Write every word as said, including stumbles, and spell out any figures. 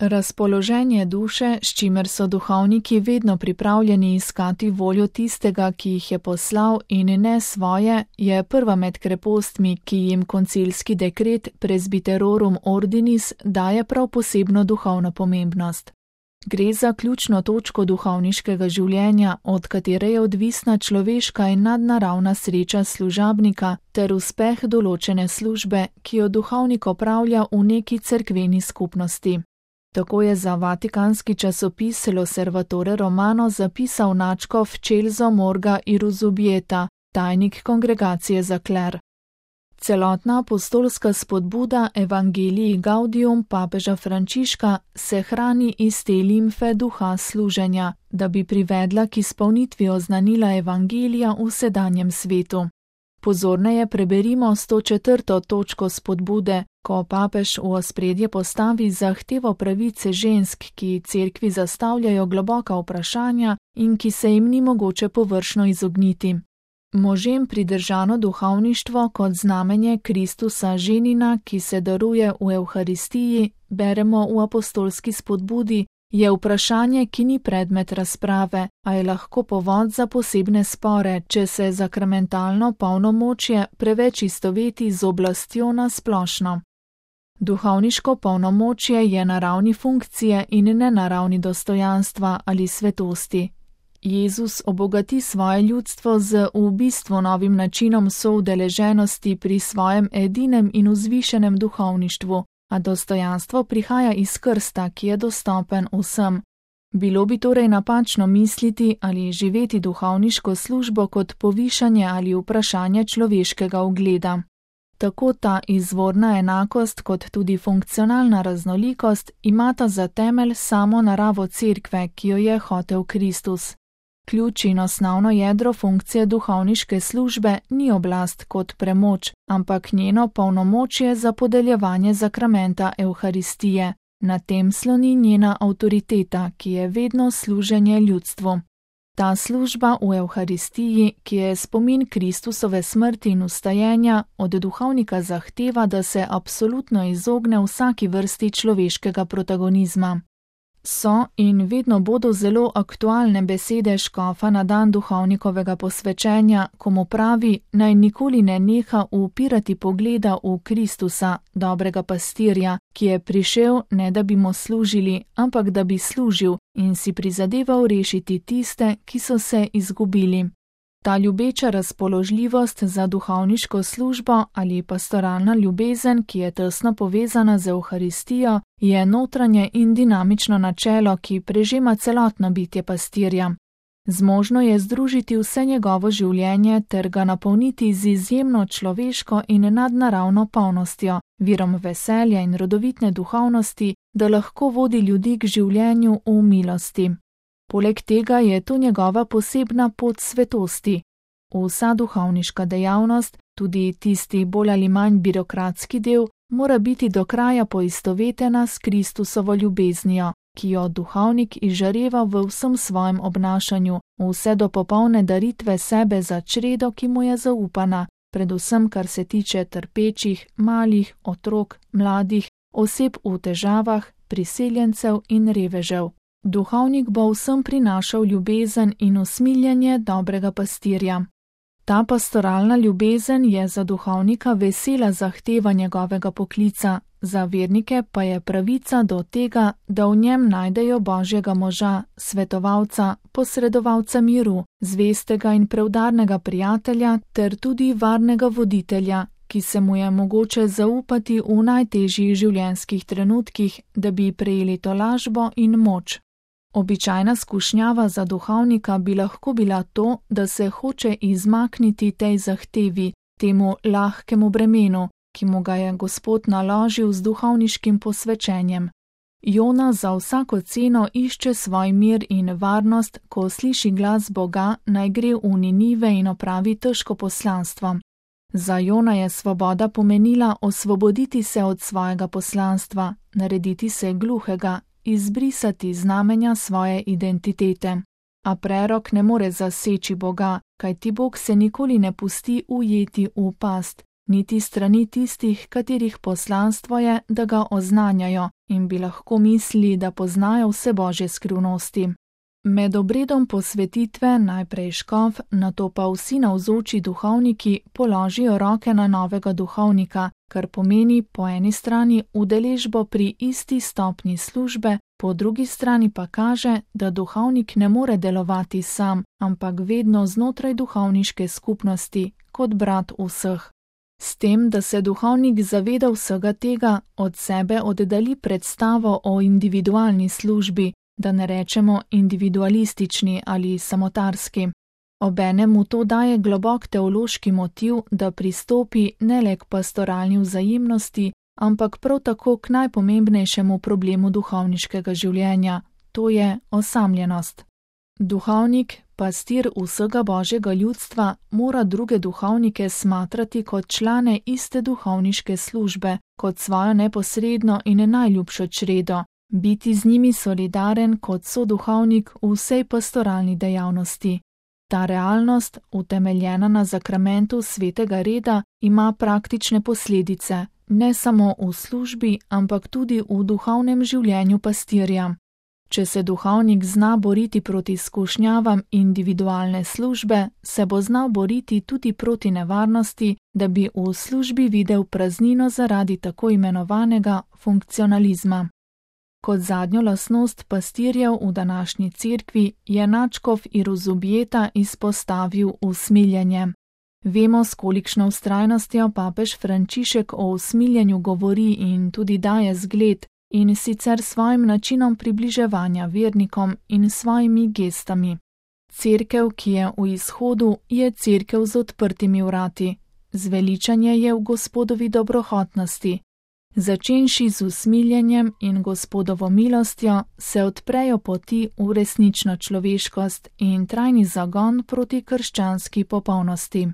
Razpoloženje duše, s čimer so duhovniki vedno pripravljeni iskati voljo tistega, ki jih je poslal, in ne svoje, je prva med krepostmi, ki jim koncilski dekret Presbyterorum Ordinis daje prav posebno duhovno pomembnost. Gre za ključno točko duhovniškega življenja, od katere je odvisna človeška in nadnaravna sreča služabnika ter uspeh določene službe, ki jo duhovnik opravlja v neki cerkveni skupnosti. Tako je za vatikanski časopis L'Osservatore Romano zapisal nadškof Celso Morga Iruzubieta, tajnik kongregacije za kler. Celotna apostolska spodbuda Evangelii Gaudium papeža Frančiška se hrani iz te limfe duha služenja, da bi privedla k izpolnitvi oznanila Evangelija v sedanjem svetu. Pozorneje preberimo sto četrto točko spodbude, ko papež v ospredje postavi zahtevo pravice žensk, ki cerkvi zastavljajo globoka vprašanja in ki se jim ni mogoče površno izogniti. Možem pridržano duhovništvo kot znamenje Kristusa ženina, ki se daruje v Evharistiji, beremo v apostolski spodbudi, je vprašanje, ki ni predmet razprave, a je lahko povod za posebne spore, če se zakramentalno polnomočje preveč istoveti z oblastjo na splošno. Duhovniško polnomočje je na ravni funkcije in ne na ravni dostojanstva ali svetosti. Jezus obogati svoje ljudstvo z v bistvu novim načinom soudeleženosti pri svojem edinem in vzvišenem duhovništvu, a dostojanstvo prihaja iz krsta, ki je dostopen vsem. Bilo bi torej napačno misliti ali živeti duhovniško službo kot povišanje ali vprašanje človeškega ugleda. Tako ta izvorna enakost kot tudi funkcionalna raznolikost imata za temelj samo naravo cerkve, ki jo je hotel Kristus. Ključ in osnovno jedro funkcije duhovniške službe ni oblast kot premoč, ampak njeno polnomočje za podeljevanje zakramenta Evharistije. Na tem sloni njena avtoriteta, ki je vedno služenje ljudstvu. Ta služba v Evharistiji, ki je spomin Kristusove smrti in vstajenja, od duhovnika zahteva, da se absolutno izogne vsaki vrsti človeškega protagonizma. So in vedno bodo zelo aktualne besede škofa na dan duhovnikovega posvečenja, ko mu pravi, naj nikoli ne neha upirati pogleda v Kristusa, dobrega pastirja, ki je prišel ne da bi mu služili, ampak da bi služil in si prizadeval rešiti tiste, ki so se izgubili. Ta ljubeča razpoložljivost za duhovniško službo ali pastoralna ljubezen, ki je tesno povezana z Evharistijo, je notranje in dinamično načelo, ki prežema celotno bitje pastirja. Zmožno je združiti vse njegovo življenje ter ga napolniti z izjemno človeško in nadnaravno polnostjo, virom veselja in rodovitne duhovnosti, da lahko vodi ljudi k življenju v milosti. Poleg tega je to njegova posebna pot svetosti. Vsa duhovniška dejavnost, tudi tisti bolj ali manj birokratski del, mora biti do kraja poistovetena s Kristusovo ljubeznijo, ki jo duhovnik izžareva v vsem svojem obnašanju, vse do popolne daritve sebe za čredo, ki mu je zaupana, predvsem kar se tiče trpečih, malih, otrok, mladih, oseb v težavah, priseljencev in revežev. Duhovnik bo vsem prinašal ljubezen in usmiljenje dobrega pastirja. Ta pastoralna ljubezen je za duhovnika vesela zahteva njegovega poklica, za vernike pa je pravica do tega, da v njem najdejo Božjega moža, svetovalca, posredovalca miru, zvestega in preudarnega prijatelja ter tudi varnega voditelja, ki se mu je mogoče zaupati v najtežjih življenjskih trenutkih, da bi prejeli tolažbo in moč. Običajna skušnjava za duhovnika bi lahko bila to, da se hoče izmakniti tej zahtevi, temu lahkemu bremenu, ki mu ga je Gospod naložil z duhovniškim posvečenjem. Jona za vsako ceno išče svoj mir in varnost, ko sliši glas Boga, naj gre v Ninive in opravi težko poslanstvo. Za Jona je svoboda pomenila osvoboditi se od svojega poslanstva, narediti se gluhega, izbrisati znamenja svoje identitete. A prerok ne more zaseči Boga, kajti Bog se nikoli ne pusti ujeti v past, niti strani tistih, katerih poslanstvo je, da ga oznanjajo, in bi lahko mislili, da poznajo vse božje skrivnosti. Med obredom posvetitve najprej škof, nato pa vsi navzoči duhovniki položijo roke na novega duhovnika, kar pomeni po eni strani udeležbo pri isti stopnji službe, po drugi strani pa kaže, da duhovnik ne more delovati sam, ampak vedno znotraj duhovniške skupnosti, kot brat vseh. S tem, da se duhovnik zaveda vsega tega, od sebe oddali predstavo o individualni službi, da ne rečemo individualistični ali samotarski. Obenem mu to daje globok teološki motiv, da pristopi ne le k pastoralni vzajemnosti, ampak prav tako k najpomembnejšemu problemu duhovniškega življenja, to je osamljenost. Duhovnik, pastir vsega božjega ljudstva, mora druge duhovnike smatrati kot člane iste duhovniške službe, kot svojo neposredno in najljubšo čredo, biti z njimi solidaren kot soduhovnik v vsej pastoralni dejavnosti. Ta realnost, utemeljena na zakramentu svetega reda, ima praktične posledice, ne samo v službi, ampak tudi v duhovnem življenju pastirja. Če se duhovnik zna boriti proti skušnjavam individualne službe, se bo znal boriti tudi proti nevarnosti, da bi v službi videl praznino zaradi tako imenovanega funkcionalizma. Kot zadnjo lastnost pastirjev v današnji cerkvi je nadškof Iruzubjeta izpostavil usmiljenje. Vemo, s kolikšno vztrajnostjo papež Frančišek o usmiljenju govori in tudi daje zgled, in sicer svojim načinom približevanja vernikom in svojimi gestami. Cerkev, ki je v izhodu, je cerkev z odprtimi vrati. Zveličanje je v Gospodovi dobrohotnosti. Začenši z usmiljenjem in Gospodovo milostjo, se odprejo poti v resnično človeškost in trajni zagon proti krščanski popolnosti.